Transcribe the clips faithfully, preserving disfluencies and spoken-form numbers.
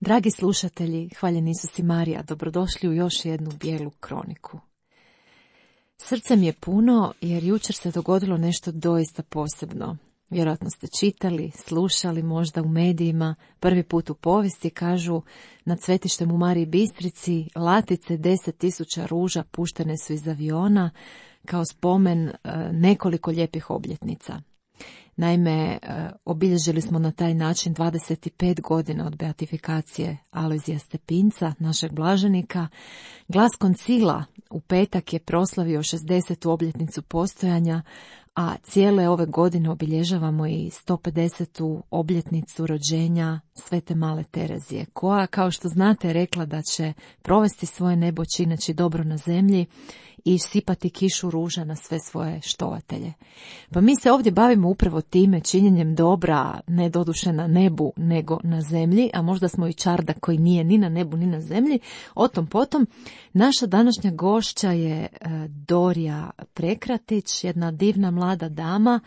Dragi slušatelji, hvaljen Isus i Marija, dobrodošli u još jednu bijelu kroniku. Srce mi je puno jer jučer se dogodilo nešto doista posebno. Vjerojatno ste čitali, slušali možda u medijima, prvi put u povijesti kažu nad svetištem u Mariji Bistrici latice deset tisuća ruža puštene su iz aviona kao spomen nekoliko lijepih obljetnica. Naime, obilježili smo na taj način dvadeset pet godina od beatifikacije Alojzija Stepinca, našeg blaženika. Glas koncila u petak je proslavio šezdesetu obljetnicu postojanja, a cijele ove godine obilježavamo i sto pedesetu obljetnicu rođenja Svete Male Terezije, koja, kao što znate, rekla da će provesti svoje nebo čineći dobro na zemlji i sipati kišu ruža na sve svoje štovatelje. Pa mi se ovdje bavimo upravo time, činjenjem dobra, ne doduše na nebu, nego na zemlji, a možda smo i čardak koji nije ni na nebu, ni na zemlji. O tom potom, naša današnja gošća je Dorija Prekratić, jedna divna mlada dama,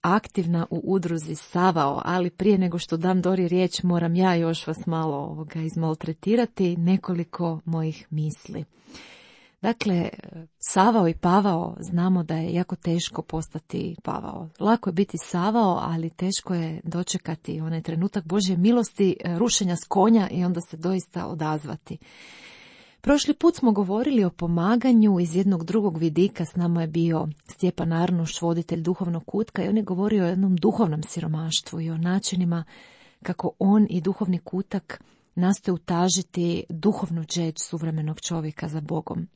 aktivna u udruzi Savao, ali prije nego što dam Dori riječ, moram ja još vas malo ovoga izmaltretirati, nekoliko mojih misli. Dakle, Savao i Pavao, znamo da je jako teško postati Pavao. Lako je biti Savao, ali teško je dočekati onaj trenutak Božje milosti, rušenja s konja i onda se doista odazvati. Prošli put smo govorili o pomaganju iz jednog drugog vidika, s nama je bio Stjepan Arnuš, voditelj duhovnog kutka, i on je govorio o jednom duhovnom siromaštvu i o načinima kako on i duhovni kutak nastoje utažiti duhovnu džeđ suvremenog čovjeka za Bogom.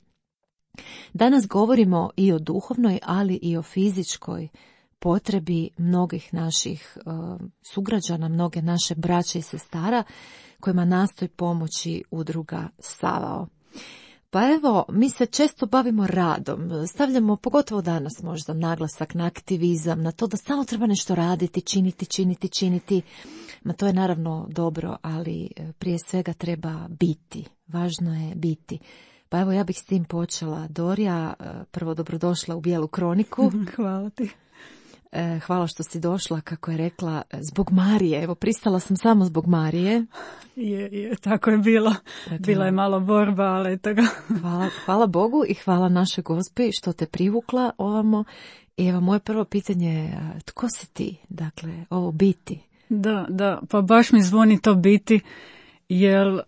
Danas govorimo i o duhovnoj, ali i o fizičkoj potrebi mnogih naših uh, sugrađana, mnoge naše braće i sestara kojima nastoji pomoći udruga Savao. Pa evo, mi se često bavimo radom, stavljamo, pogotovo danas možda, naglasak na aktivizam, na to da samo treba nešto raditi, činiti, činiti, činiti. Ma to je naravno dobro, ali prije svega treba biti. Važno je biti. Pa evo, ja bih s tim počela. Dorija, prvo dobrodošla u Bijelu kroniku. Hvala ti. Hvala što si došla, kako je rekla, zbog Marije. Evo, pristala sam samo zbog Marije. Je, je, tako je bilo. Dakle, bila je malo borba, ali eto ga. Hvala, hvala Bogu i hvala našoj Gospi što te privukla ovamo. I evo, moje prvo pitanje je, tko si ti? Dakle, ovo biti. Da, da, pa baš mi zvoni to biti, jer uh,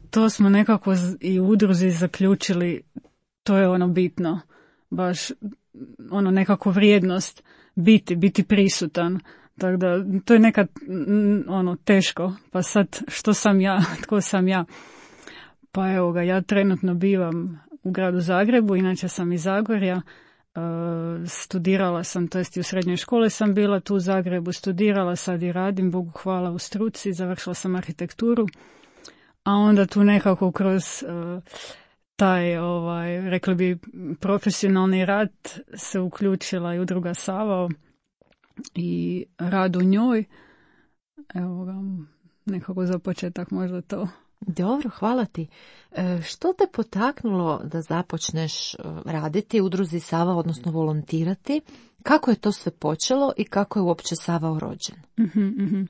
to smo nekako i u udruzi zaključili, to je ono bitno, baš ono nekako vrijednost biti, biti prisutan. Tako da to je nekad ono teško, pa sad što sam ja, tko sam ja? Pa evo ga, ja trenutno bivam u gradu Zagrebu, inače sam iz Zagorja. Uh, studirala sam, to jest i u srednjoj školi sam bila tu u Zagrebu, studirala, sad i radim, Bogu hvala, u struci, završila sam arhitekturu, a onda tu nekako kroz uh, taj, ovaj, rekli bi, profesionalni rad se uključila i udruga Savao i rad u njoj. Evo ga, nekako za početak možda to. Dobro, hvala ti. E, što te potaknulo da započneš raditi u udruzi Savao, odnosno volontirati? Kako je to sve počelo i kako je uopće Savao rođen? Uh-huh, uh-huh.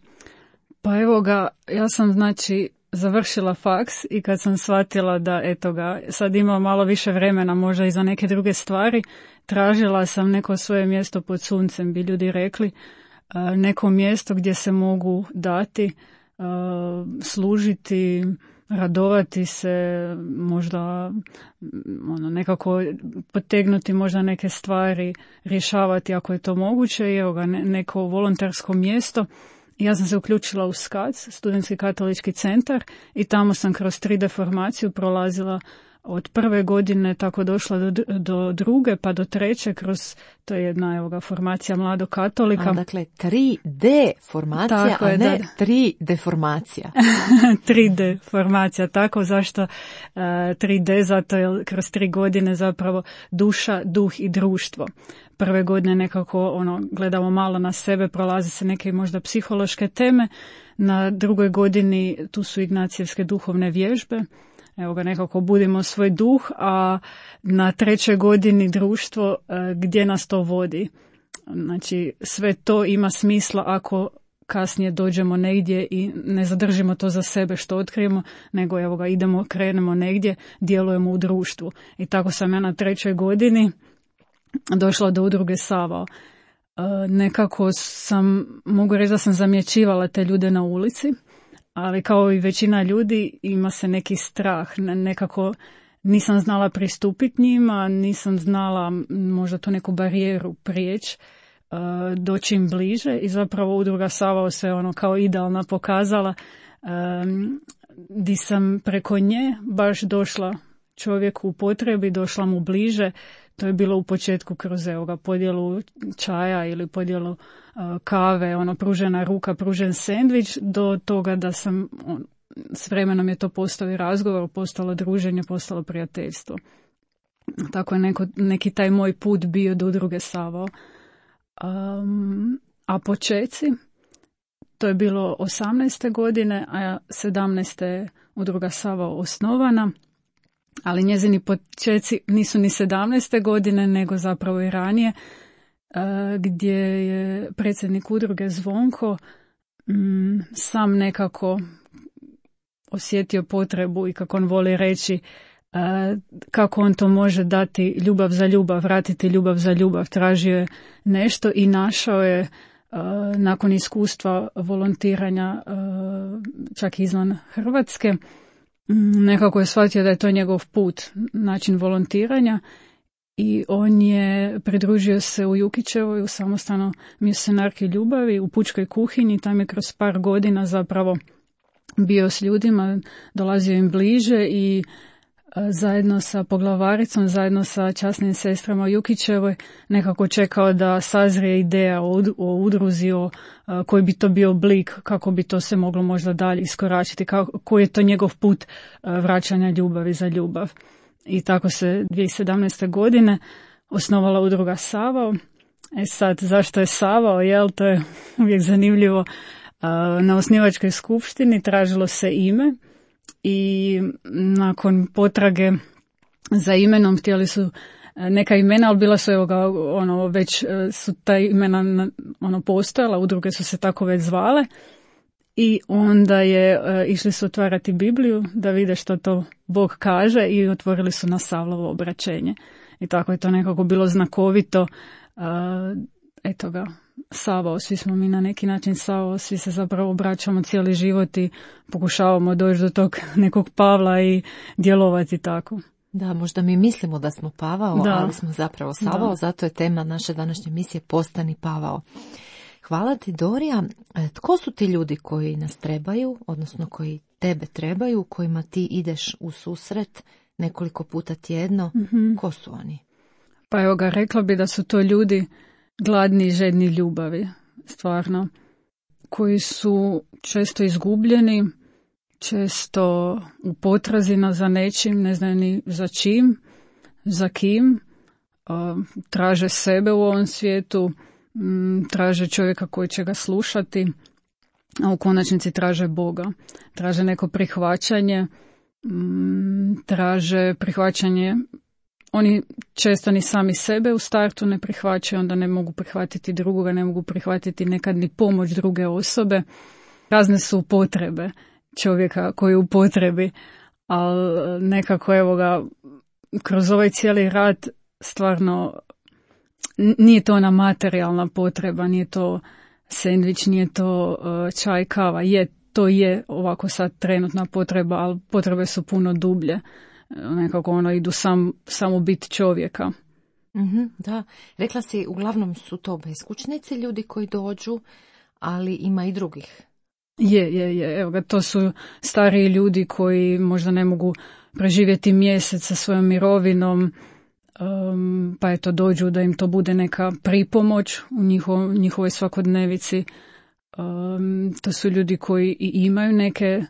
Pa evo ga, ja sam znači završila faks i kad sam shvatila da eto ga, sad ima malo više vremena možda i za neke druge stvari, tražila sam neko svoje mjesto pod suncem, bi ljudi rekli, neko mjesto gdje se mogu dati, služiti, radovati se, možda ono, nekako potegnuti možda neke stvari, rješavati ako je to moguće, i evo ga, neko volontersko mjesto. Ja sam se uključila u S K A C, Studentski katolički centar, i tamo sam kroz tri D formaciju prolazila od prve godine, tako došla do, do druge, pa do treće, kroz, to je jedna evo ga, formacija mladog katolika. A, dakle, tri D formacija, tako a je, ne tri D formacija. tri D formacija, tako, zašto uh, tri D? Zato je kroz tri godine zapravo duša, duh i društvo. Prve godine nekako ono, gledamo malo na sebe, prolazi se neke možda psihološke teme, na drugoj godini tu su ignacijevske duhovne vježbe, evo ga, nekako budimo svoj duh, a na trećoj godini društvo, gdje nas to vodi. Znači, sve to ima smisla ako kasnije dođemo negdje i ne zadržimo to za sebe što otkrijemo, nego evo ga, idemo, krenemo negdje, djelujemo u društvu. I tako sam ja na trećoj godini došla do udruge Savao. E, nekako sam, mogu reći da sam zamjećivala te ljude na ulici, ali kao i većina ljudi ima se neki strah, nekako nisam znala pristupiti njima, nisam znala možda tu neku barijeru prijeći, uh, doći im bliže i zapravo udruga Savao se ono kao idealna pokazala, um, di sam preko nje baš došla čovjeku u potrebi, došla mu bliže. To je bilo u početku kroz evo, podjelu čaja ili podjelu uh, kave, ono pružena ruka, pružen sendvič, do toga da sam on, s vremenom je to postao i razgovor, postalo druženje, postalo prijateljstvo. Tako je neko, neki taj moj put bio do udruge Savao. Um, a počeci, to je bilo osamnaeste godine, a sedamnaeste je udruga Savao osnovana, ali njezini počeci nisu ni sedamnaeste godine, nego zapravo i ranije, uh, gdje je predsjednik udruge Zvonko um, sam nekako osjetio potrebu i kako on voli reći uh, kako on to može dati ljubav za ljubav, vratiti ljubav za ljubav. Tražio je nešto i našao je uh, nakon iskustva volontiranja uh, čak izvan Hrvatske, um, nekako je shvatio da je to njegov put, način volontiranja i on je pridružio se u Jukićevoj u samostalnoj misionarki ljubavi u pučkoj kuhinji. Tam je kroz par godina zapravo bio s ljudima, dolazio im bliže i zajedno sa poglavaricom, zajedno sa časnim sestrama u Jukićevoj nekako čekao da sazrije ideja o, o udruzi, o koji bi to bio oblik, kako bi to se moglo možda dalje iskoračiti, kako, koji je to njegov put vraćanja ljubavi za ljubav. I tako se dvije tisuće sedamnaeste. godine osnovala udruga Savao. E sad, zašto je Savao? Jel, to je uvijek zanimljivo. Na osnivačkoj skupštini tražilo se ime i nakon potrage za imenom htjeli su neka imena, ali bila su evo ga, ono, već su ta imena ono, postojala, udruge su se tako već zvale i onda je išli su otvarati Bibliju da vide što to Bog kaže i otvorili su na Savlovo obraćenje. I tako je to nekako bilo znakovito. Eto ga, Savao, svi smo mi na neki način Savao, svi se zapravo obraćamo cijeli život i pokušavamo doći do tog nekog Pavla i djelovati tako. Da, možda mi mislimo da smo Pavao, da. ali smo zapravo Savao, da. Zato je tema naše današnje misije Postani Pavao. Hvala ti, Dorija. Tko su ti ljudi koji nas trebaju, odnosno koji tebe trebaju, kojima ti ideš u susret nekoliko puta tjedno? Mm-hmm. Ko su oni? Pa evo ga, rekla bi da su to ljudi gladni i žedni ljubavi, stvarno, koji su često izgubljeni, često u potrazi za nečim, ne znaju ni za čim, za kim, traže sebe u ovom svijetu, traže čovjeka koji će ga slušati, a u konačnici traže Boga. Traže neko prihvaćanje, traže prihvaćanje. Oni često ni sami sebe u startu ne prihvaćaju, onda ne mogu prihvatiti drugoga, ne mogu prihvatiti nekad ni pomoć druge osobe. Razne su potrebe čovjeka koji je u potrebi, ali nekako evo ga, kroz ovaj cijeli rad stvarno nije to ona materijalna potreba, nije to sendvič, nije to čaj, kava, je, to je ovako sad trenutna potreba, ali potrebe su puno dublje. Nekako ono idu sam, samo bit čovjeka. Mm-hmm, da, rekla si, uglavnom su to beskućnici ljudi koji dođu, ali ima i drugih. Je, je, je, evo ga, to su stariji ljudi koji možda ne mogu preživjeti mjesec sa svojom mirovinom, um, pa eto dođu da im to bude neka pripomoć u njiho, njihovoj svakodnevici. Um, to su ljudi koji i imaju neke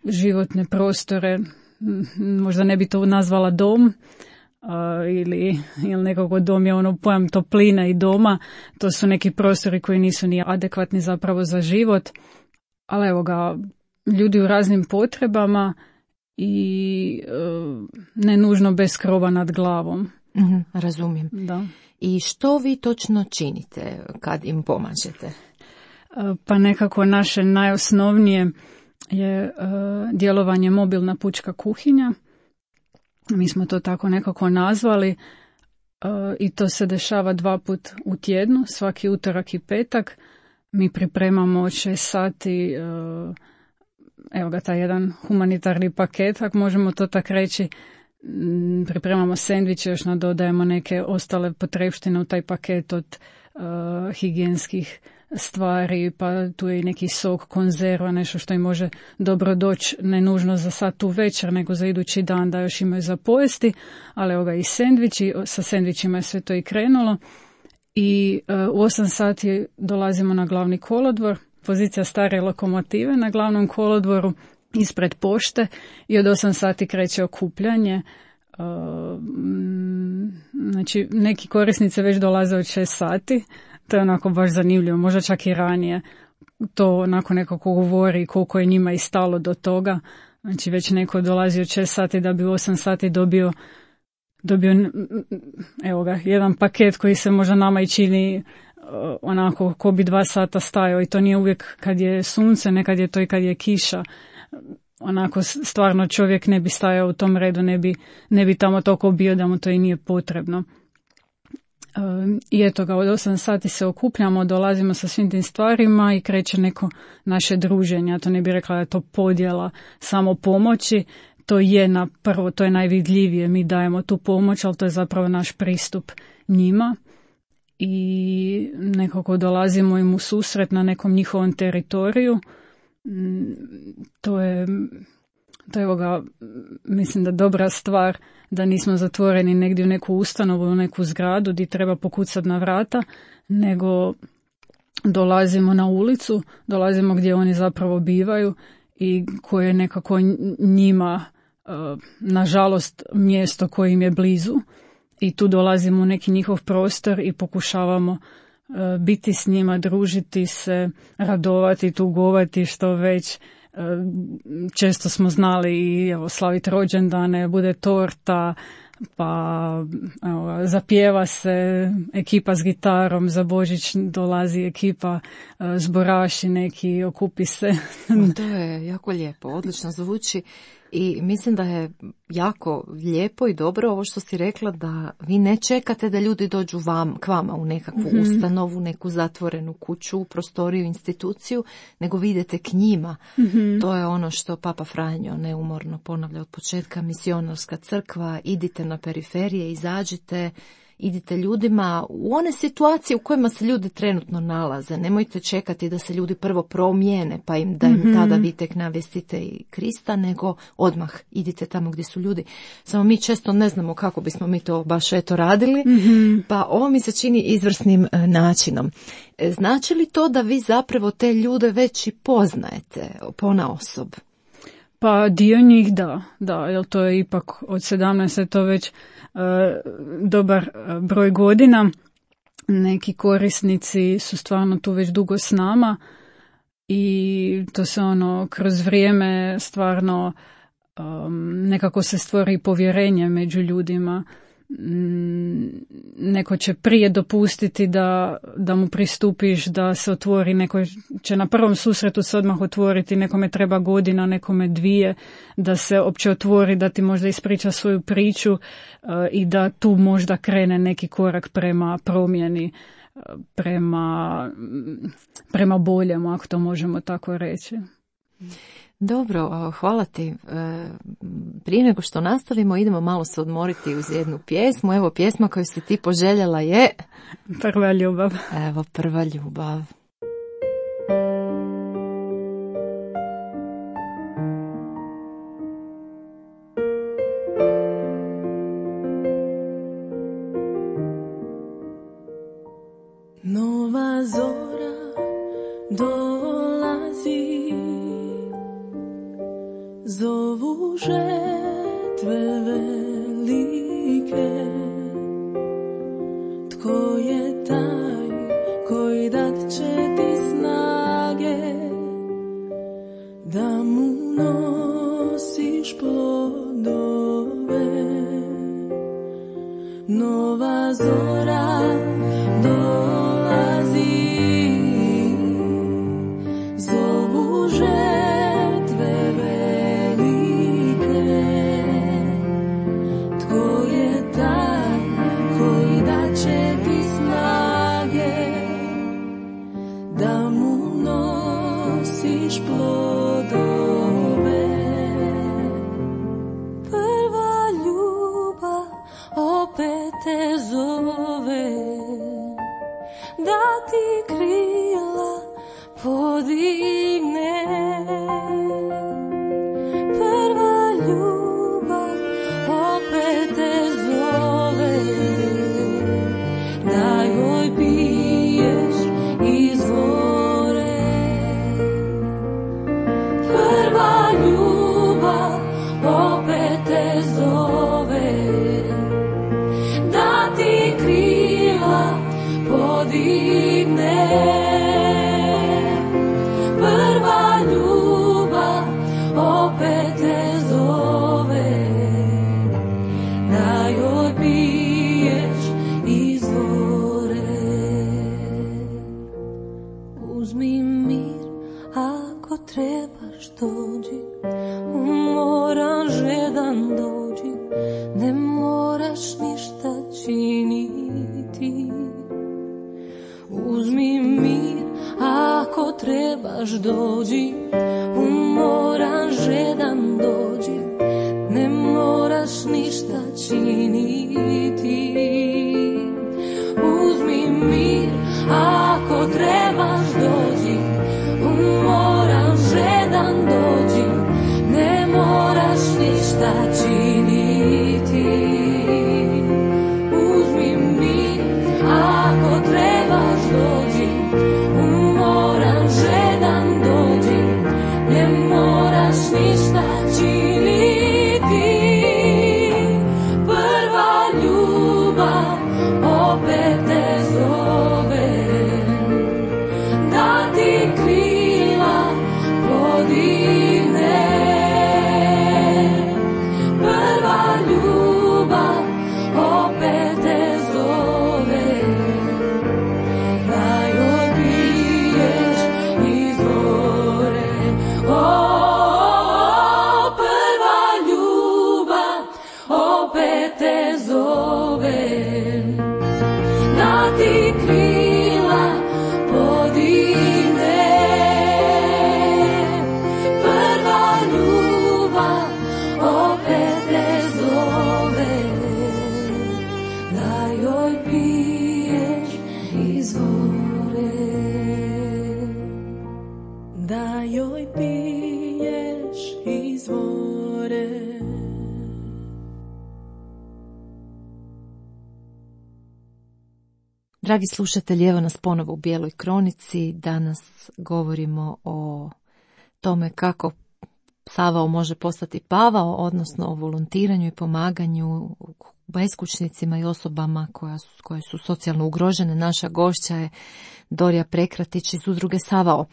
životne prostore, možda ne bi to nazvala dom, uh, ili, ili nekako dom je ono pojam topline i doma, to su neki prostori koji nisu ni adekvatni zapravo za život, ali evo ga, ljudi u raznim potrebama i uh, ne nužno bez krova nad glavom. Mm-hmm, razumijem. Da. I što vi točno činite kad im pomažete? pa nekako naše najosnovnije je uh, djelovanje mobilna pučka kuhinja. Mi smo to tako nekako nazvali uh, i to se dešava dva put u tjednu, svaki utorak i petak. Mi pripremamo od šest sati, uh, evo ga taj jedan humanitarni paket, ako možemo to tako reći. Pripremamo sendviče, još nadodajemo neke ostale potrepštine u taj paket od uh, higijenskih stvari, pa tu je i neki sok, konzerva, nešto što im može dobro doći, ne nužno za sad tu večer, nego za idući dan da još imaju za pojesti, ali evo ga i sendviči, sa sendvičima je sve to i krenulo. I uh, u osam sati dolazimo na glavni kolodvor, pozicija stare lokomotive na glavnom kolodvoru, ispred pošte i od osam sati kreće okupljanje. Uh, znači, neki korisnice već dolaze od šest sati. To je onako baš zanimljivo, možda čak i ranije. To onako nekako govori koliko je njima i stalo do toga. Znači, već neko dolazi od šest sati da bi u osam sati dobio, dobio evo ga, jedan paket koji se možda nama i čini onako ko bi dva sata stajao, i to nije uvijek kad je sunce, nekad je to i kad je kiša. Onako stvarno čovjek ne bi stajao u tom redu, ne bi, ne bi tamo toliko bio da mu to i nije potrebno. I eto ga, od osam sati se okupljamo, dolazimo sa svim tim stvarima i kreće neko naše druženje. Ja to ne bih rekla da je to podjela samo pomoći, to je na prvo, to je najvidljivije, mi dajemo tu pomoć, ali to je zapravo naš pristup njima i nekako dolazimo im u susret na nekom njihovom teritoriju. To je, to je evo ga, mislim da dobra stvar da nismo zatvoreni negdje u neku ustanovu, u neku zgradu gdje treba pokucati na vrata, nego dolazimo na ulicu, dolazimo gdje oni zapravo bivaju i koje je nekako njima, nažalost, mjesto koje im je blizu, i tu dolazimo u neki njihov prostor i pokušavamo biti s njima, družiti se, radovati, tugovati, što već. Često smo znali i evo, slaviti rođendane, bude torta, pa evo, zapjeva se ekipa s gitarom, za Božić dolazi ekipa zboraši neki, okupi se. O, to je jako lijepo, odlično zvuči. I mislim da je jako lijepo i dobro ovo što si rekla, da vi ne čekate da ljudi dođu vam, k vama u nekakvu mm-hmm. ustanovu, neku zatvorenu kuću, prostoriju, instituciju, nego vi idete k njima. Mm-hmm. To je ono što Papa Franjo neumorno ponavlja od početka, misionarska crkva, idite na periferije, izađite, idite ljudima u one situacije u kojima se ljudi trenutno nalaze. Nemojte čekati da se ljudi prvo promijene, pa im da im mm-hmm. tada vi tek navestite i Krista, nego odmah idite tamo gdje su ljudi. Samo mi često ne znamo kako bismo mi to baš eto radili, mm-hmm. pa ovo mi se čini izvrsnim e, načinom. E, znači li to da vi zapravo te ljude već i poznajete ponaosob? Pa dio njih da, da, jer to je ipak od sedamnaest je to već uh, dobar uh, broj godina. Neki korisnici su stvarno tu već dugo s nama i to se ono kroz vrijeme stvarno um, nekako se stvori povjerenje među ljudima. Neko će prije dopustiti da, da mu pristupiš, da se otvori, neko će na prvom susretu se odmah otvoriti, nekome treba godina, nekome dvije, da se opće otvori, da ti možda ispriča svoju priču uh, i da tu možda krene neki korak prema promjeni, uh, prema, prema boljemu, ako to možemo tako reći. Dobro, hvala ti. Prije nego što nastavimo, idemo malo se odmoriti uz jednu pjesmu. Evo, pjesma koju si ti poželjela je... Prva ljubav. Evo, Prva ljubav. Nova zora dolazi, zovu žetve velike. Tko je taj koji dat će ti snage da mu nosiš plodove? Nova zora dolazi, da ti krila podigne. Prva ljubav opet te zove, da joj piješ izvore. Prva ljubav opet te zove, da ti krila podigne. Prva ljubav opet te zove, da joj piješ izvore. Uzmi mir ako trebaš dođi, umoran žedan dođi, ne moraš ništa činiti. Uzmi mir ako trebaš dođi, umoran žedan dođi, ne moraš ništa činiti. Uzmi mir ako trebaš dođi, umoran žedan dođi, ne moraš ništa činiti. Uzmi mir ako trebaš dođi, umoran žedan dođi, ne moraš ništa činiti. Prva ljubav opet te zove, da ti krila podigne. Prva ljubav opet te zove, da joj piješ izvore. O, prva ljubav opet te zove, da ti krila podigne. Prva ljubav opet te zove, da joj piješ izvore. Da joj piješ izvore. Dragi slušatelji, evo nas ponovo u Bijeloj kronici. Danas govorimo o tome kako Savao može postati Pavao, odnosno o volontiranju i pomaganju beskućnicima i osobama koja su, koje su socijalno ugrožene. Naša gošća je Dorija Prekratić iz udruge Savao.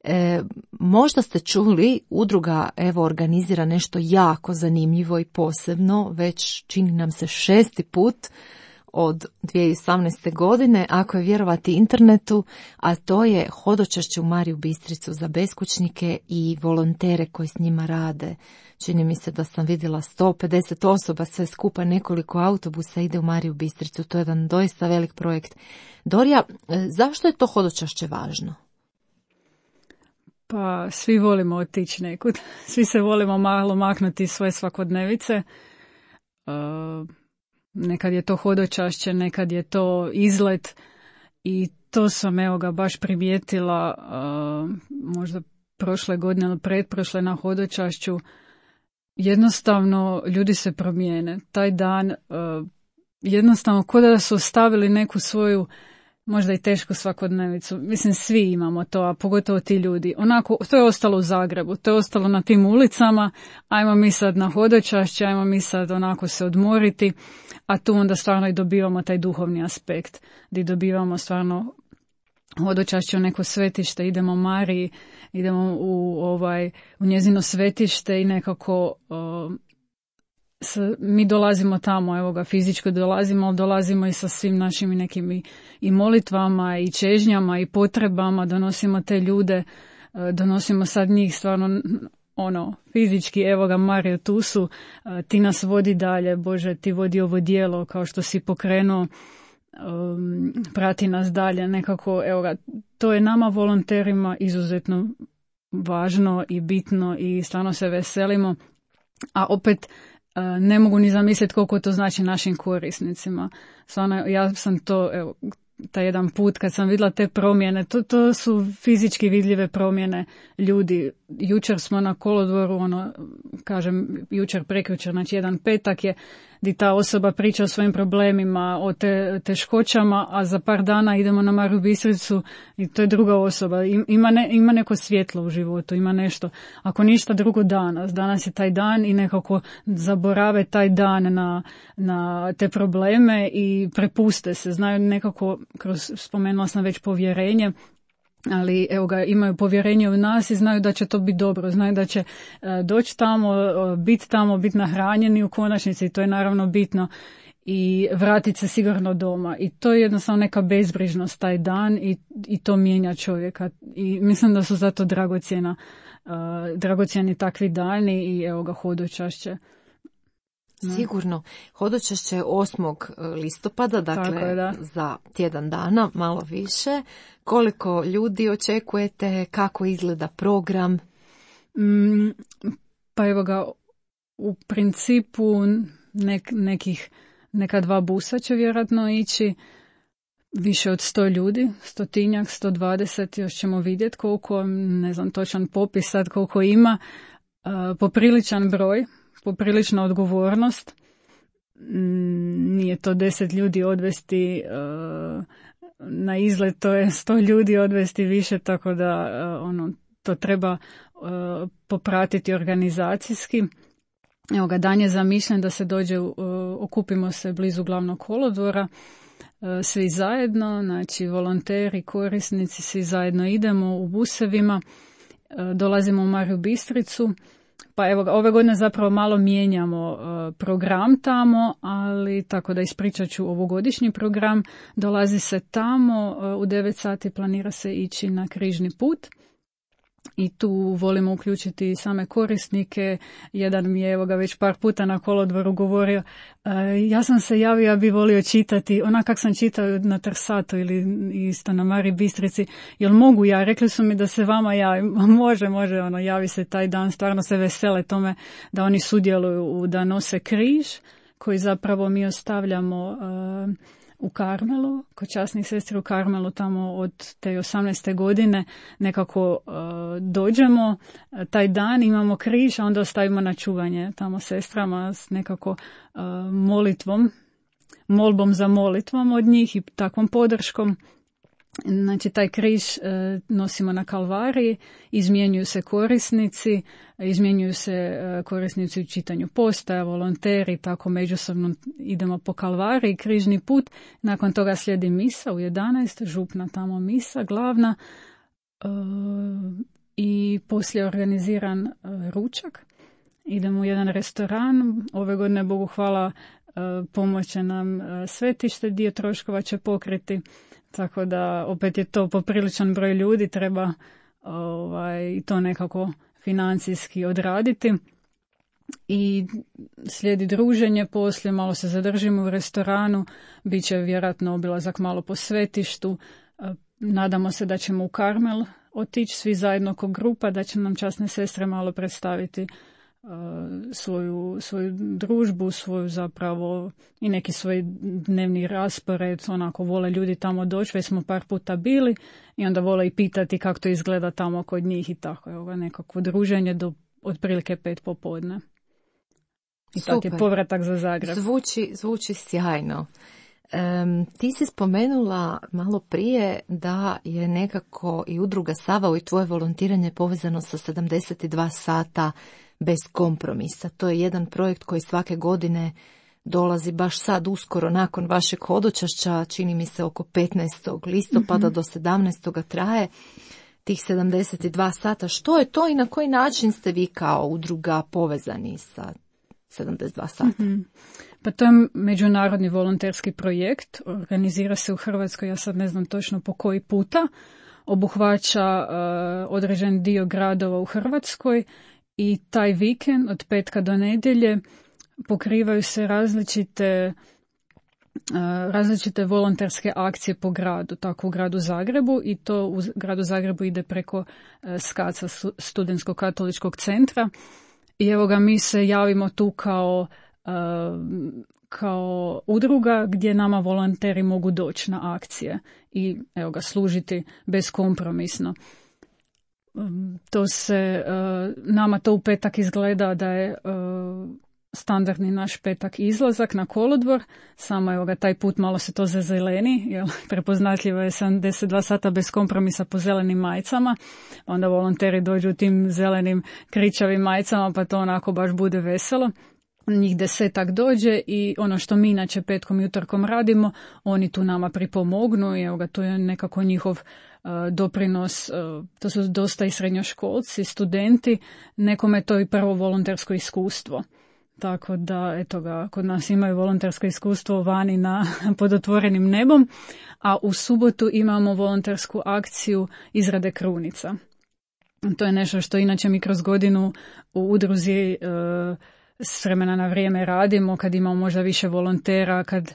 E, možda ste čuli, udruga evo organizira nešto jako zanimljivo i posebno, već čini nam se šesti put od dvije tisuće osamnaeste. godine, ako je vjerovati internetu, a to je hodočašće u Mariju Bistricu za beskućnike i volontere koji s njima rade. Čini mi se da sam vidjela sto pedeset osoba, sve skupa, nekoliko autobusa ide u Mariju Bistricu. To je jedan doista velik projekt. Dorija, zašto je to hodočašće važno? Pa svi volimo otići nekud, svi se volimo malo maknuti iz svoje svakodnevice. Uh... Nekad je to hodočašće, nekad je to izlet i to sam evo ga baš primijetila uh, možda prošle godine ili pretprošle na hodočašću. Jednostavno ljudi se promijene. Taj dan uh, jednostavno ko da su ostavili neku svoju možda i tešku svakodnevicu. Mislim, svi imamo to, a pogotovo ti ljudi. Onako, to je ostalo u Zagrebu, to je ostalo na tim ulicama, ajmo mi sad na hodočašće, ajmo mi sad onako se odmoriti, a tu onda stvarno i dobivamo taj duhovni aspekt, gdje dobivamo stvarno hodočašće u neko svetište, idemo Mariji, idemo u, ovaj, u njezino svetište i nekako uh, s, mi dolazimo tamo, evo ga, fizičko dolazimo, ali dolazimo i sa svim našim nekim i, i molitvama i čežnjama i potrebama, donosimo te ljude, uh, donosimo sad njih stvarno ono, fizički, evo ga Mario, tu su, uh, ti nas vodi dalje, Bože, ti vodi ovo djelo kao što si pokrenuo, um, prati nas dalje, nekako, evo ga, to je nama volonterima izuzetno važno i bitno i stvarno se veselimo, a opet uh, ne mogu ni zamisliti koliko to znači našim korisnicima. Stvarno, ja sam to, evo, taj jedan put kad sam vidjela te promjene, to, to su fizički vidljive promjene ljudi. Jučer smo na kolodvoru, ono, kažem, jučer, prekjučer, znači jedan petak je di ta osoba priča o svojim problemima, o te, teškoćama, a za par dana idemo na Mariju Bistricu i to je druga osoba. Ima, ne, ima neko svjetlo u životu, ima nešto. Ako ništa drugo danas, danas je taj dan i nekako zaborave taj dan na, na te probleme i prepuste se. Znaju nekako, kroz, spomenula sam već povjerenje, ali evo ga, imaju povjerenje u nas i znaju da će to biti dobro, znaju da će uh, doći tamo, uh, biti tamo, biti nahranjeni u konačnici i to je naravno bitno i vratiti se sigurno doma i to je jednostavno neka bezbrižnost taj dan i, i to mijenja čovjeka i mislim da su zato dragocjena, uh, dragocjeni takvi dani i evo ga hodočašće. Sigurno. Hodočašće je osmog listopada, dakle je, da. za tjedan dana, malo više. Koliko ljudi očekujete, kako izgleda program? Mm, pa evo ga, u principu nek, nekih, neka dva busa će vjerojatno ići, više od sto ljudi, stotinjak, sto dvadeset, još ćemo vidjeti koliko, ne znam točan popis sad koliko ima, uh, popriličan broj. Poprilična odgovornost. Nije to deset ljudi odvesti uh, na izlet, to je sto ljudi odvesti više, tako da uh, ono, to treba uh, popratiti organizacijski. Evo ga, dan je zamišljen da se dođe, uh, okupimo se blizu glavnog kolodvora, uh, svi zajedno, znači volonteri, korisnici, svi zajedno idemo u busevima, uh, dolazimo u Mariju Bistricu. Pa evo, ove godine zapravo malo mijenjamo uh, program tamo, ali tako da ispričat ću ovogodišnji program. Dolazi se tamo, uh, u devet sati planira se ići na križni put i tu volimo uključiti same korisnike. Jedan mi je evo ga već par puta na kolodvoru govorio, uh, ja sam se javio, ja bi volio čitati, onak kak sam čitao na Trsatu ili isto na Mariji Bistrici, jel mogu ja? Rekli su mi da se vama javi, može, može, ono, javi se taj dan, stvarno se vesele tome da oni sudjeluju u da nose križ, koji zapravo mi ostavljamo uh, u Karmelu, kod časnih sestri u Karmelu, tamo od te osamnaeste godine nekako uh, dođemo, taj dan imamo križ, a onda ostavimo na čuvanje tamo sestrama s nekako uh, molitvom, molbom za molitvom od njih i takvom podrškom. Znači, taj križ e, nosimo na Kalvariji, izmjenjuju se korisnici, izmjenjuju se e, korisnici u čitanju postaja, volonteri, tako međusobno idemo po Kalvariji, križni put. Nakon toga slijedi misa u jedanaest, župna tamo misa, glavna, e, i poslije je organiziran e, ručak. Idemo u jedan restoran, ove godine, Bogu hvala, e, pomoće nam e, svetište, dio troškova će pokriti. Tako da opet je to popriličan broj ljudi, treba ovaj, to nekako financijski odraditi. I slijedi druženje, poslije malo se zadržimo u restoranu, bit će vjerojatno obilazak malo po svetištu. Nadamo se da ćemo u Karmel otići svi zajedno kao grupa, da će nam časne sestre malo predstaviti svoju, svoju družbu, svoju zapravo i neki svoj dnevni raspored, onako vole ljudi tamo doći, već smo par puta bili i onda vole i pitati kako to izgleda tamo kod njih i tako, evo nekako druženje do otprilike pet popodne. I tako je povratak za Zagreb. Zvuči, zvuči sjajno. Um, ti si spomenula malo prije da je nekako i udruga Savao i tvoje volontiranje povezano sa sedamdeset dva sata bez kompromisa. To je jedan projekt koji svake godine dolazi baš sad uskoro nakon vašeg hodočašća, čini mi se oko petnaestog listopada mm-hmm. do sedamnaestog traje tih sedamdeset dva sata. Što je to i na koji način ste vi kao udruga povezani sa sedamdeset dva sata? Mm-hmm. Pa to je međunarodni volonterski projekt, organizira se u Hrvatskoj, ja sad ne znam točno po koji puta, obuhvaća uh, određen dio gradova u Hrvatskoj i taj vikend od petka do nedjelje pokrivaju se različite, uh, različite volonterske akcije po gradu, tako u gradu Zagrebu, i to u gradu Zagrebu ide preko uh, SKAC-a, Studentskog katoličkog centra, i evo ga mi se javimo tu kao kao udruga gdje nama volonteri mogu doći na akcije i evo ga služiti beskompromisno. To se, nama to u petak izgleda da je standardni naš petak izlazak na kolodvor, samo evo ga taj put malo se to zazeleni, jer prepoznatljivo je sedamdeset dva sata bez kompromisa po zelenim majicama, onda volonteri dođu u tim zelenim kričavim majicama pa to onako baš bude veselo. Njih desetak dođe i ono što mi inače petkom i utorkom radimo, oni tu nama pripomognu i evo ga, to je nekako njihov uh, doprinos, uh, to su dosta i srednjoškolci, studenti, nekome to i prvo volontersko iskustvo. Tako da, eto ga, kod nas imaju volontersko iskustvo vani na, pod otvorenim nebom, a u subotu imamo volontersku akciju izrade krunica. To je nešto što inače mi kroz godinu u udruzi uh, s vremena na vrijeme radimo, kad imamo možda više volontera, kad e,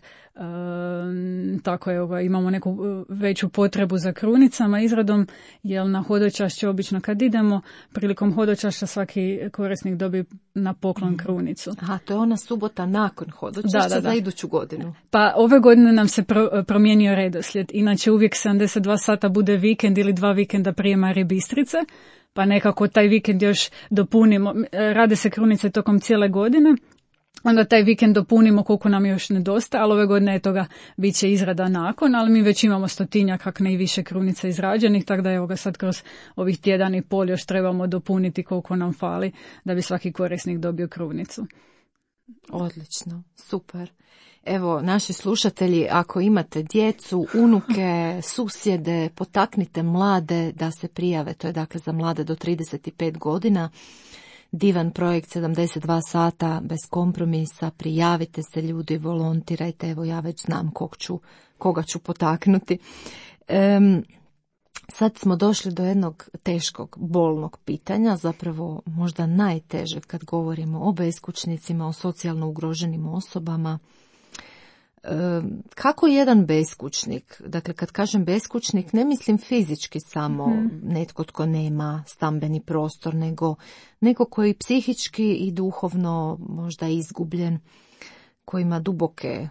tako je, imamo neku veću potrebu za krunicama, izradom, jer na hodočašće obično kad idemo, prilikom hodočašća svaki korisnik dobi na poklon krunicu. Aha, to je ona subota nakon hodočašća da, da, da. za iduću godinu. Pa ove godine nam se pro, promijenio redoslijed. Inače uvijek sedamdeset dva sata bude vikend ili dva vikenda prije Marije Bistrice, pa nekako taj vikend još dopunimo, rade se krunice tokom cijele godine, onda taj vikend dopunimo koliko nam još nedostaje, ali ove godine je toga bit će izrada nakon, ali mi već imamo stotinjak, kak ne i više krunica izrađenih, tako da evo ga sad kroz ovih tjedan i pol još trebamo dopuniti koliko nam fali da bi svaki korisnik dobio krunicu. Odlično, super. Evo, naši slušatelji, ako imate djecu, unuke, susjede, potaknite mlade da se prijave. To je dakle za mlade do trideset pet godina. Divan projekt sedamdeset dva sata bez kompromisa. Prijavite se ljudi, volontirajte. Evo, ja već znam kog ću, koga ću potaknuti. Um, sad smo došli do jednog teškog, bolnog pitanja, zapravo možda najtežeg kad govorimo o beskućnicima, o socijalno ugroženim osobama. Kako jedan beskućnik, dakle kad kažem beskućnik ne mislim fizički samo mm-hmm. netko tko nema stambeni prostor, nego neko koji psihički i duhovno možda izgubljen, koji ima duboke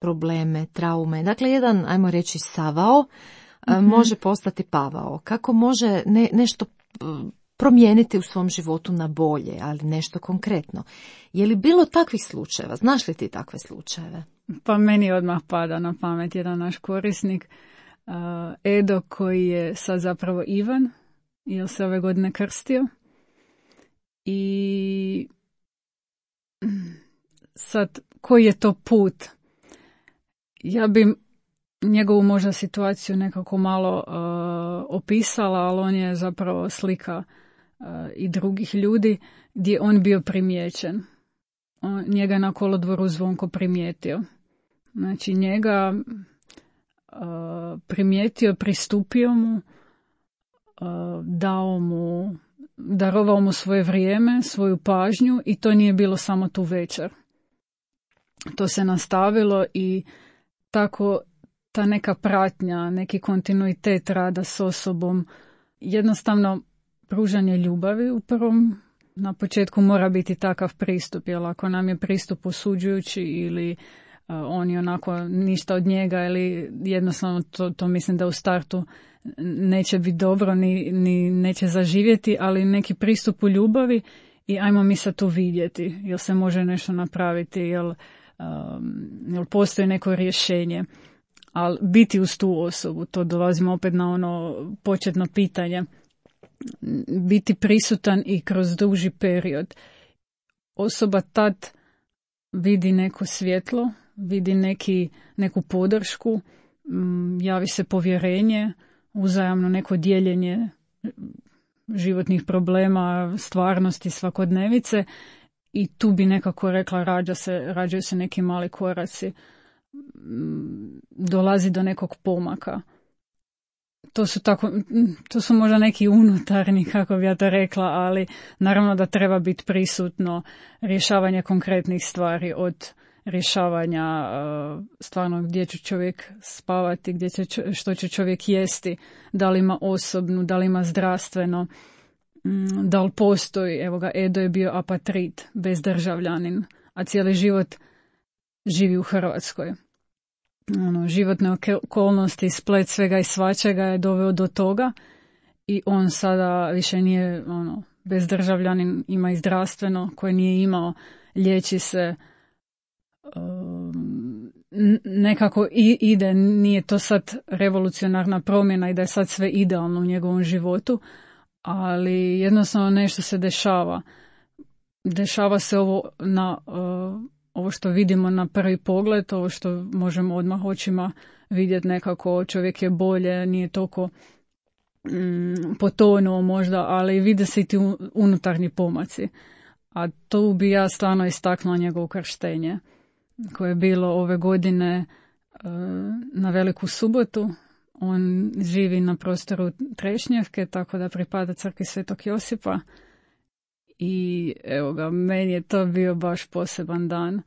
probleme, traume, dakle jedan, ajmo reći, savao mm-hmm. može postati pavao. Kako može ne, nešto promijeniti u svom životu na bolje, ali nešto konkretno. Je li bilo takvih slučajeva? Znaš li ti takve slučajeve? Pa meni odmah pada na pamet jedan naš korisnik, uh, Edo, koji je sad zapravo Ivan, jer se ove godine krstio. I sad, koji je to put? Ja bi njegovu možda situaciju nekako malo uh, opisala, ali on je zapravo slika uh, i drugih ljudi gdje on bio primijećen. On, njega na kolodvoru Zvonko primijetio. Znači njega uh, primijetio, pristupio mu, uh, dao mu, darovao mu svoje vrijeme, svoju pažnju i to nije bilo samo tu večer. To se nastavilo i tako ta neka pratnja, neki kontinuitet rada s osobom, jednostavno pružanje ljubavi u prvom, na početku mora biti takav pristup, jer ako nam je pristup osuđujući ili uh, on je onako ništa od njega ili jednostavno to, to mislim da u startu neće biti dobro ni, ni neće zaživjeti, ali neki pristup u ljubavi i ajmo mi sad tu vidjeti, jel se može nešto napraviti, jel, um, jel postoji neko rješenje. Ali biti uz tu osobu, to dolazimo opet na ono početno pitanje, biti prisutan i kroz duži period. Osoba tad vidi neko svjetlo, vidi neki, neku podršku, javi se povjerenje, uzajamno neko dijeljenje životnih problema, stvarnosti, svakodnevice i tu bi nekako rekla rađa se, rađaju se neki mali koraci, dolazi do nekog pomaka. To su tako, to su možda neki unutarnji, kako bi ja to rekla, ali naravno da treba biti prisutno rješavanje konkretnih stvari, od rješavanja stvarno gdje će čovjek spavati, gdje će, što će čovjek jesti, da li ima osobnu, da li ima zdravstveno, da li postoji, evo ga, Edo je bio apatrid, bezdržavljanin, a cijeli život živi u Hrvatskoj. Ono, životne okolnosti, splet svega i svačega je doveo do toga i on sada više nije ono, bezdržavljanin, ima i zdravstveno koje nije imao, liječi se, um, nekako i, ide, nije to sad revolucionarna promjena i da je sad sve idealno u njegovom životu, ali jednostavno nešto se dešava. Dešava se ovo na uh, ovo što vidimo na prvi pogled, ovo što možemo odmah očima vidjeti nekako, čovjek je bolje, nije toliko mm, potonuo možda, ali vide se i ti unutarnji pomaci. A tu bi ja stvarno istaknula njegovo krštenje, koje je bilo ove godine uh, na Veliku subotu. On živi na prostoru Trešnjevke, tako da pripada crkvi Svetog Josipa. I evo ga, meni je to bio baš poseban dan.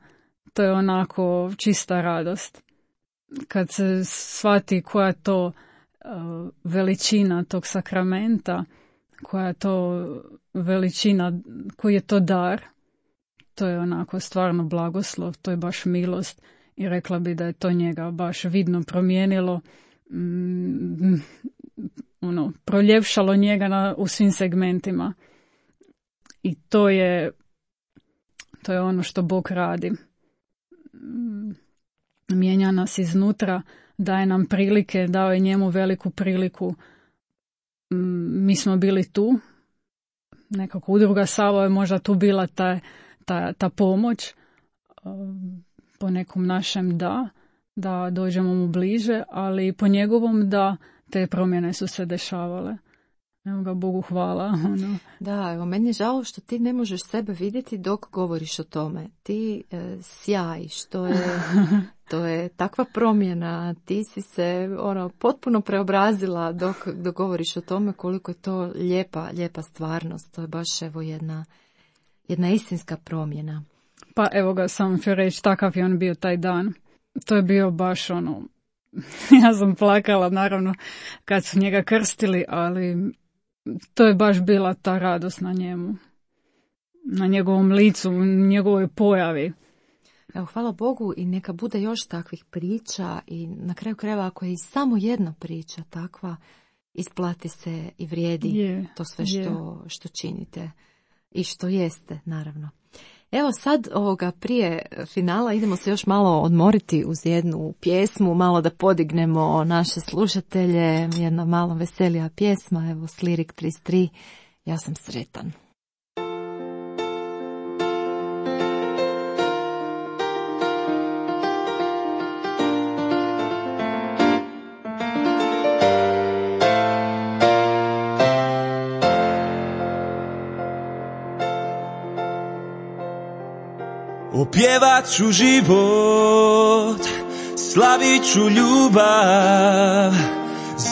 To je onako čista radost. Kad se shvati koja je to uh, veličina tog sakramenta, koja je to veličina, koji je to dar, to je onako stvarno blagoslov, to je baš milost i rekla bi da je to njega baš vidno promijenilo, mm, ono, proljepšalo njega na, u svim segmentima. I to je, to je ono što Bog radi. Mijenja nas iznutra, daje nam prilike, dao je njemu veliku priliku. Mi smo bili tu, nekako udruga Savo je možda tu bila ta, ta, ta pomoć, po nekom našem da, da dođemo mu bliže, ali po njegovom da te promjene su se dešavale. Evo ga, Bogu hvala. Ono. Da, evo, meni je žao što ti ne možeš sebe vidjeti dok govoriš o tome. Ti e, sjajiš, to je, to je takva promjena, ti si se ono, potpuno preobrazila dok, dok govoriš o tome koliko je to lijepa, lijepa stvarnost. To je baš evo jedna, jedna istinska promjena. Pa evo ga, sam ću reći, takav je on bio taj dan. To je bio baš ono, ja sam plakala naravno kad su njega krstili, ali to je baš bila ta radost na njemu, na njegovom licu, u njegovoj pojavi. Evo, hvala Bogu i neka bude još takvih priča i na kraju krajeva ako je i samo jedna priča takva, isplati se i vrijedi yeah, to sve što, yeah. što činite i što jeste, naravno. Evo sad ovoga prije finala idemo se još malo odmoriti uz jednu pjesmu, malo da podignemo naše slušatelje, jedna malo veselija pjesma, evo Slirik trideset tri, ja sam sretan. Opjevat ću život, slavit ću ljubav,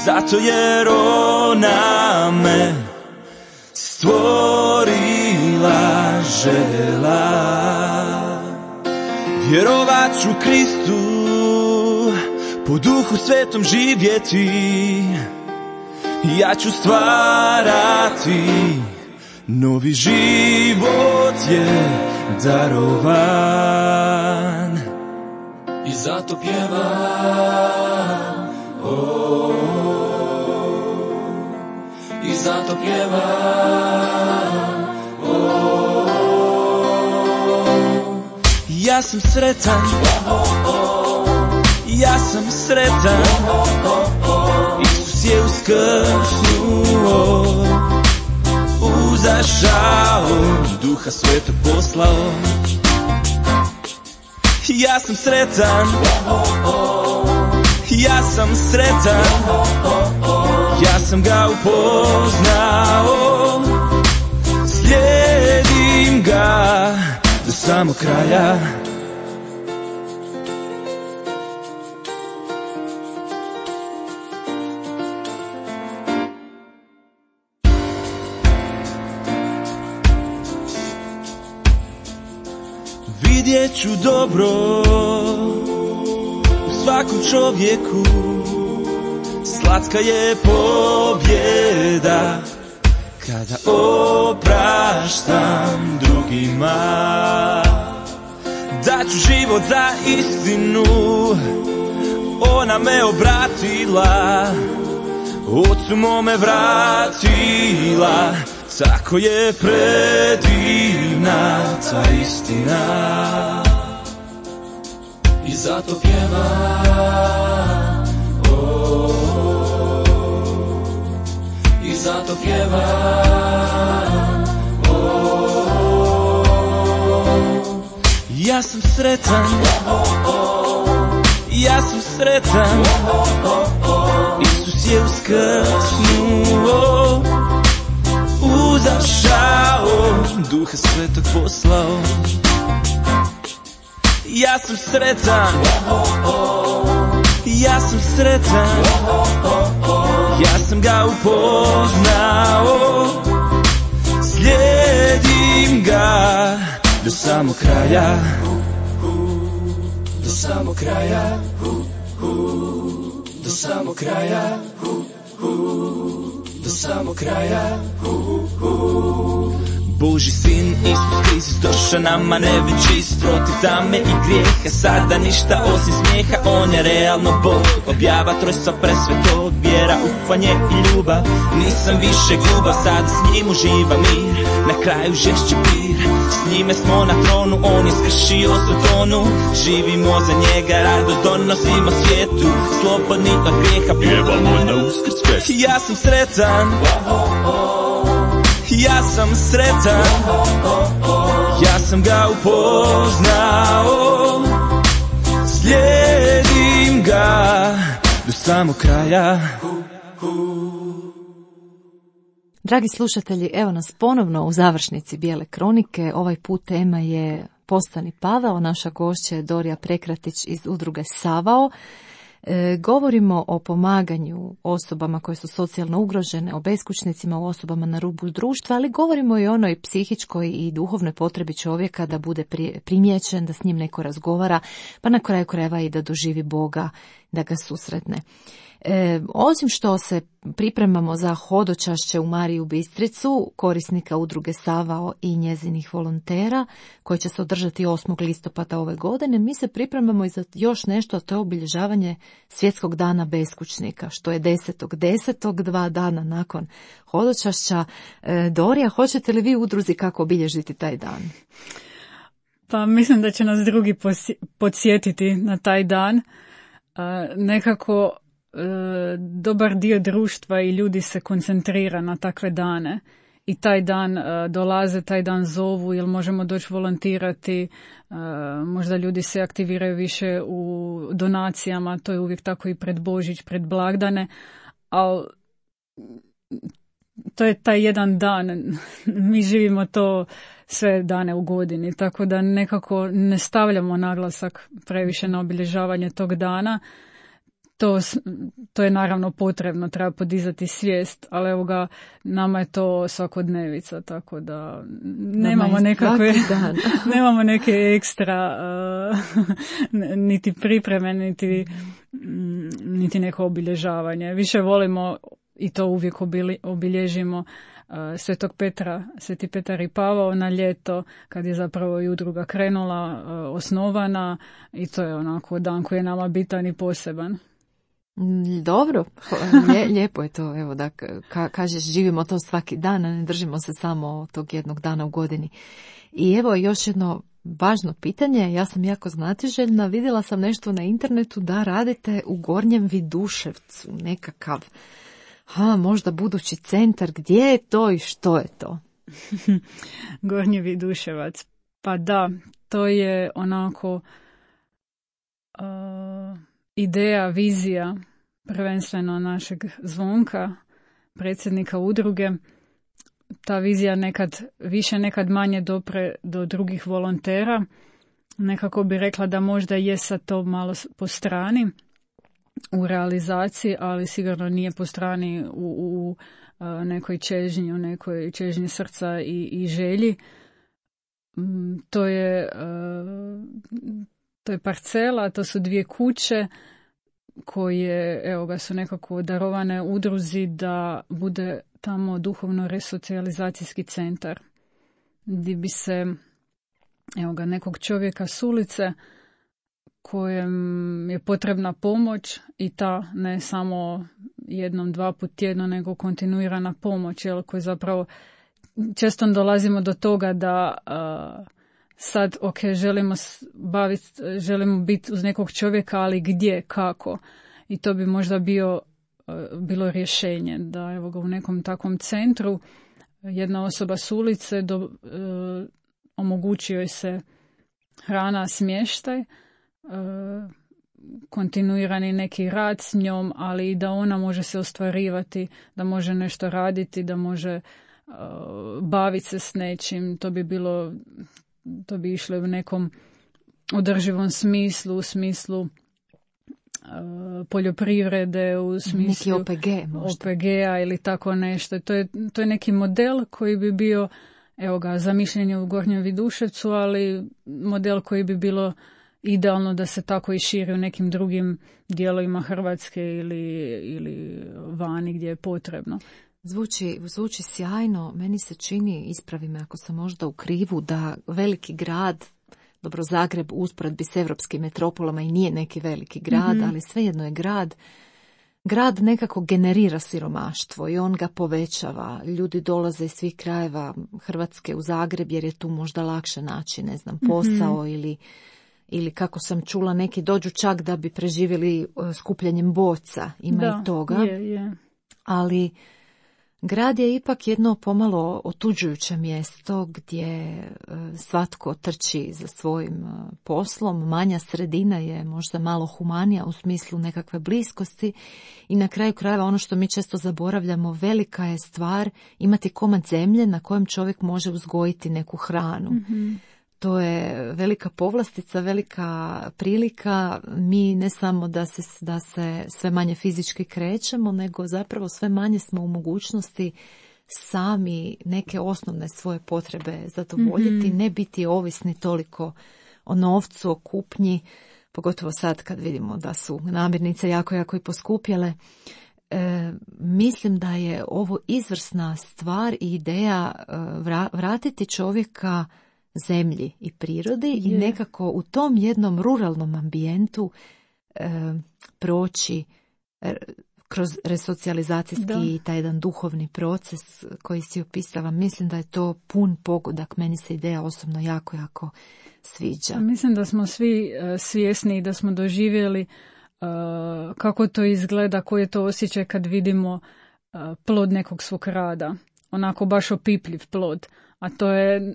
zato jer ona me stvorila, željela. Vjerovat ću Kristu, po Duhu Svetom živjeti, ja ću stvarati, novi život je darovan. I zato pjevam, oh, i zato pjevam, oh, ja sam sretan, ja sam sretan, Isus je uskrsnuo, uzašao, Duha Svetog poslao. Ja sam sretan, ja sam sretan, ja sam ga upoznao, slijedim ga do samog kraja. Vidjet ću dobro u svakom čovjeku, slatka je pobjeda kada opraštam drugima. daću život za istinu. Ona me obratila, Ocu mome vratila, tako je predivna ta istina. I zato pjevam, oh, i zato pjevam, oh. Ja sam sretan, ja sam sretan, Isus je uskrsnuo, uzašao, Duha Svetog poslao. Ja sam sretan, ja sam sretan, ja sam ga upoznao, slijedim ga do samog kraja, do samog kraja, do samog kraja, do samog kraja. Božji sin Isus Kristus došao nama nevin čist, protiv tame i grijeha, sada ništa osim smijeha. On je realno Bog, objava trojstva presvetog, vjera, ufanje i ljubav. Nisam više glubav, sada s njim uživa mir, na kraju žešće pir. S njime smo na tronu, on je skršio Sotonu, živimo za njega, radost donosimo svijetu, slobodni od grijeha, pjevamo na Uskrs fest. Ja sam sretan, ja sam sretan, ja sam ga upoznao, slijedim ga do samog kraja. Dragi slušatelji, evo nas ponovno u završnici Bijele kronike. Ovaj put tema je Postani Pavao, naša gošća je Dorija Prekratić iz udruge Savao. E, govorimo o pomaganju osobama koje su socijalno ugrožene, o beskućnicima, o osobama na rubu društva, ali govorimo i o onoj psihičkoj i duhovnoj potrebi čovjeka da bude pri, primijećen, da s njim neko razgovara, pa na kraju krajeva i da doživi Boga, da ga susretne. E, osim što se pripremamo za hodočašće u Mariju Bistricu, korisnika udruge Savao i njezinih volontera, koje će se održati osmog listopada ove godine, mi se pripremamo i za još nešto, a to je obilježavanje Svjetskog dana beskućnika, što je desetog desetog, dva dana nakon hodočašća. E, Dorija, hoćete li vi udruzi kako obilježiti taj dan? Pa mislim da će nas drugi podsjetiti na taj dan. E, nekako dobar dio društva i ljudi se koncentrira na takve dane i taj dan uh, dolaze, taj dan zovu, jel možemo doći volontirati, uh, možda ljudi se aktiviraju više u donacijama, to je uvijek tako i pred Božić, pred blagdane, ali to je taj jedan dan, mi živimo to sve dane u godini, tako da nekako ne stavljamo naglasak previše na obilježavanje tog dana. To, to je naravno potrebno, treba podizati svijest, ali evo ga, nama je to svakodnevica, tako da nemamo nekakve, nemamo neke ekstra uh, niti pripreme, niti, niti neko obilježavanje. Više volimo i to uvijek obilježimo uh, Svetog Petra, Sveti Petar i Pavao na ljeto, kad je zapravo i udruga krenula, uh, osnovana, i to je onako dan koji je nama bitan i poseban. Dobro, lijepo je to, evo da ka, kažeš živimo to svaki dan, a ne držimo se samo tog jednog dana u godini. I evo još jedno važno pitanje, ja sam jako znatiželjna, vidjela sam nešto na internetu da radite u Gornjem Viduševcu, nekakav, ha, možda budući centar, gdje je to i što je to? Gornji Viduševac, pa da, to je onako... Uh... ideja, vizija prvenstveno našeg Zvonka, predsjednika udruge. Ta vizija nekad više, nekad manje dopre do drugih volontera. Nekako bi rekla da možda je sad to malo po strani u realizaciji, ali sigurno nije po strani u, u nekoj čežnji, u nekoj čežnji srca i, i želji. To je... To je parcela, to su dvije kuće koje, evo ga, su nekako darovane udruzi da bude tamo duhovno resocijalizacijski centar, gdje bi se evo ga, nekog čovjeka s ulice kojem je potrebna pomoć i ta ne samo jednom, dva put tjedno, nego kontinuirana pomoć, jel, koji zapravo često dolazimo do toga da uh, sad, ok, želimo baviti, želimo biti uz nekog čovjeka, ali gdje, kako? I to bi možda bio, uh, bilo rješenje da evo ga u nekom takvom centru jedna osoba s ulice do, uh, omogući joj se hrana, smještaj, uh, kontinuirani neki rad s njom, ali i da ona može se ostvarivati, da može nešto raditi, da može uh, baviti se s nečim. To bi bilo, to bi išlo u nekom održivom smislu, u smislu uh, poljoprivrede, u smislu neki O P G možda. O P G-a ili tako nešto. To je, to je neki model koji bi bio, evo ga, zamišljen u Gornjem Viduševcu, ali model koji bi bilo idealno da se tako i širi u nekim drugim dijelovima Hrvatske ili, ili vani gdje je potrebno. Zvuči, zvuči sjajno. Meni se čini, ispravi me ako sam možda u krivu, da veliki grad, dobro, Zagreb u usporedbi s evropskim metropolama i nije neki veliki grad, mm-hmm. ali svejedno je grad. Grad nekako generira siromaštvo i on ga povećava. Ljudi dolaze iz svih krajeva Hrvatske u Zagreb jer je tu možda lakše naći, ne znam, posao mm-hmm. ili ili kako sam čula, neki dođu čak da bi preživjeli skupljanjem boca, ima da, i toga. Je, je. Ali grad je ipak jedno pomalo otuđujuće mjesto gdje svatko trči za svojim poslom. Manja sredina je možda malo humanija u smislu nekakve bliskosti i na kraju krajeva ono što mi često zaboravljamo, velika je stvar imati komad zemlje na kojem čovjek može uzgojiti neku hranu. Mm-hmm. To je velika povlastica, velika prilika. Mi ne samo da se, da se sve manje fizički krećemo, nego zapravo sve manje smo u mogućnosti sami neke osnovne svoje potrebe zadovoljiti, mm-hmm. ne biti ovisni toliko o novcu, o kupnji, pogotovo sad kad vidimo da su namirnice jako, jako i poskupjele. E, mislim da je ovo izvrsna stvar i ideja vra, vratiti čovjeka zemlji i prirodi yeah. i nekako u tom jednom ruralnom ambijentu e, proći e, kroz resocijalizacijski i taj jedan duhovni proces koji si opisala. Mislim da je to pun pogodak. Meni se ideja osobno jako, jako sviđa. Mislim da smo svi uh, svjesni i da smo doživjeli uh, kako to izgleda, koji je to osjećaj kad vidimo uh, plod nekog svog rada. Onako baš opipljiv plod. A to je,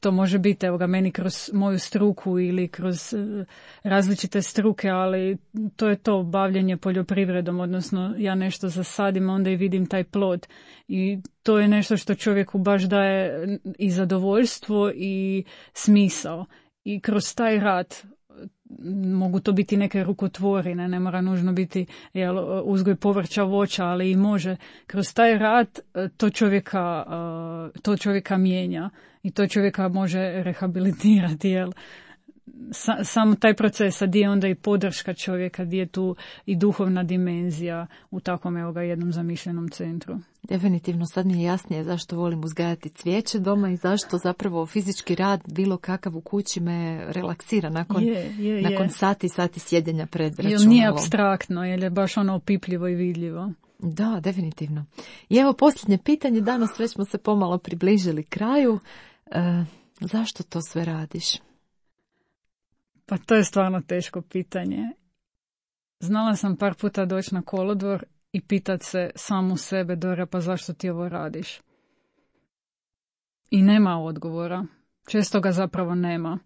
to može biti, evo ga, meni kroz moju struku ili kroz uh, različite struke, ali to je to bavljenje poljoprivredom, odnosno ja nešto zasadim, onda i vidim taj plod. I to je nešto što čovjeku baš daje i zadovoljstvo i smisao. I kroz taj rad mogu to biti neke rukotvorine, ne mora nužno biti jel, uzgoj povrća, voća, ali i može. Kroz taj rad to čovjeka, to čovjeka mijenja i to čovjeka može rehabilitirati. Jel. Sa, samo taj proces, a gdje je onda i podrška čovjeka, gdje je tu i duhovna dimenzija u takvom evo ga, jednom zamišljenom centru. Definitivno sad mi je jasnije zašto volim uzgajati cvijeće doma i zašto zapravo fizički rad bilo kakav u kući me relaksira nakon, je, je, nakon je. sati i sati sjedenja pred računalom. Jer nije apstraktno, jer je baš ono opipljivo i vidljivo. Da, definitivno. I evo posljednje pitanje, danas već smo se pomalo približili kraju. E, zašto to sve radiš? Pa to je stvarno teško pitanje. Znala sam par puta doći na kolodvor i pitat se samu sebe, Dora, pa zašto ti ovo radiš? I nema odgovora. Često ga zapravo nema.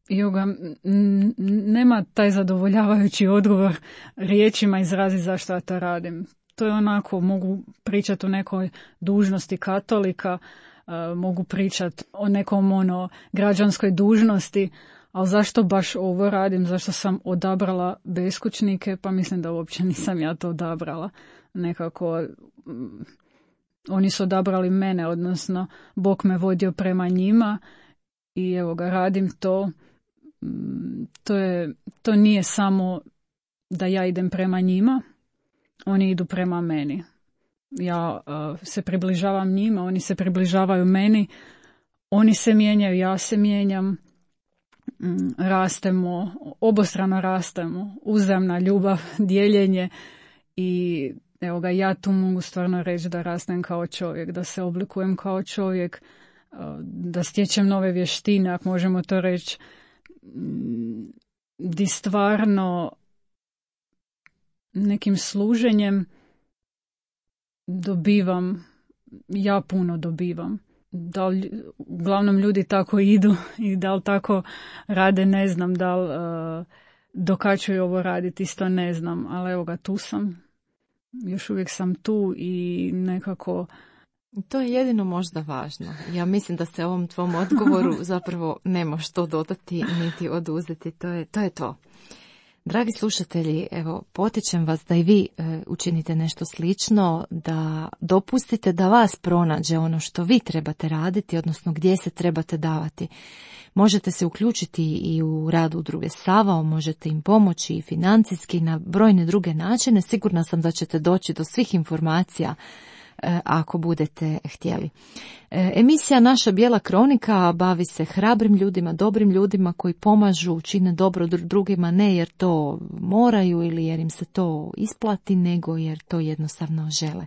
I ga, n- nema taj zadovoljavajući odgovor riječima izrazi zašto ja to radim. To je onako, mogu pričati o nekoj dužnosti katolika, uh, mogu pričati o nekom ono građanskoj dužnosti, ali zašto baš ovo radim, zašto sam odabrala beskućnike, pa mislim da uopće nisam ja to odabrala. Nekako, um, oni su odabrali mene, odnosno Bog me vodio prema njima i evo ga, radim to. Um, to, je, to nije samo da ja idem prema njima, oni idu prema meni. Ja uh, se približavam njima, oni se približavaju meni. oni se mijenjaju, ja se mijenjam, rastemo, obostrano rastemo, uzajamna ljubav, dijeljenje i evo ga, ja tu mogu stvarno reći da rastem kao čovjek, da se oblikujem kao čovjek, da stječem nove vještine, ako možemo to reći, di stvarno nekim služenjem dobivam, ja puno dobivam. Da li, uglavnom ljudi tako idu i da li tako rade, ne znam, da li uh, dokačuju ovo raditi, isto ne znam, ali evo ga, tu sam, još uvijek sam tu i nekako... To je jedino možda važno. Ja mislim da se ovom tvom odgovoru zapravo nema što dodati niti oduzeti, to je to. Je to. Dragi slušatelji, evo, potičem vas da i vi e, učinite nešto slično, da dopustite da vas pronađe ono što vi trebate raditi, odnosno gdje se trebate davati. Možete se uključiti i u rad udruge Savao, možete im pomoći i financijski na brojne druge načine. Sigurna sam da ćete doći do svih informacija e, ako budete htjeli. E, emisija Naša bijela kronika bavi se hrabrim ljudima, dobrim ljudima koji pomažu, čine dobro drugima, ne jer to moraju ili jer im se to isplati, nego jer to jednostavno žele.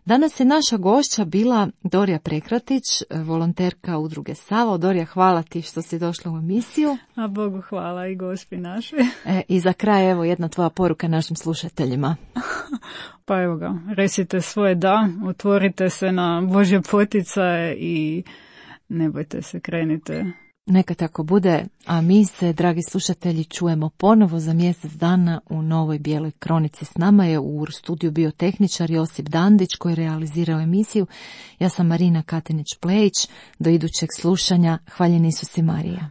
Danas je naša gošća bila Dorija Prekratić, volonterka udruge Savao. Dorija, hvala ti što si došla u emisiju. A Bogu hvala i gospi naše. E, I za kraj, evo, jedna tvoja poruka našim slušateljima. Pa evo ga, recite svoje da, otvorite se na Božje poticaje i ne bojte se, krenite. Neka tako bude, a mi se, dragi slušatelji, čujemo ponovo za mjesec dana u Novoj bijeloj kronici. S nama je u studiju bio tehničar Josip Dandić koji je realizirao emisiju. Ja sam Marina Katinić-Plejić. Do idućeg slušanja. Hvaljen Isus i Marija.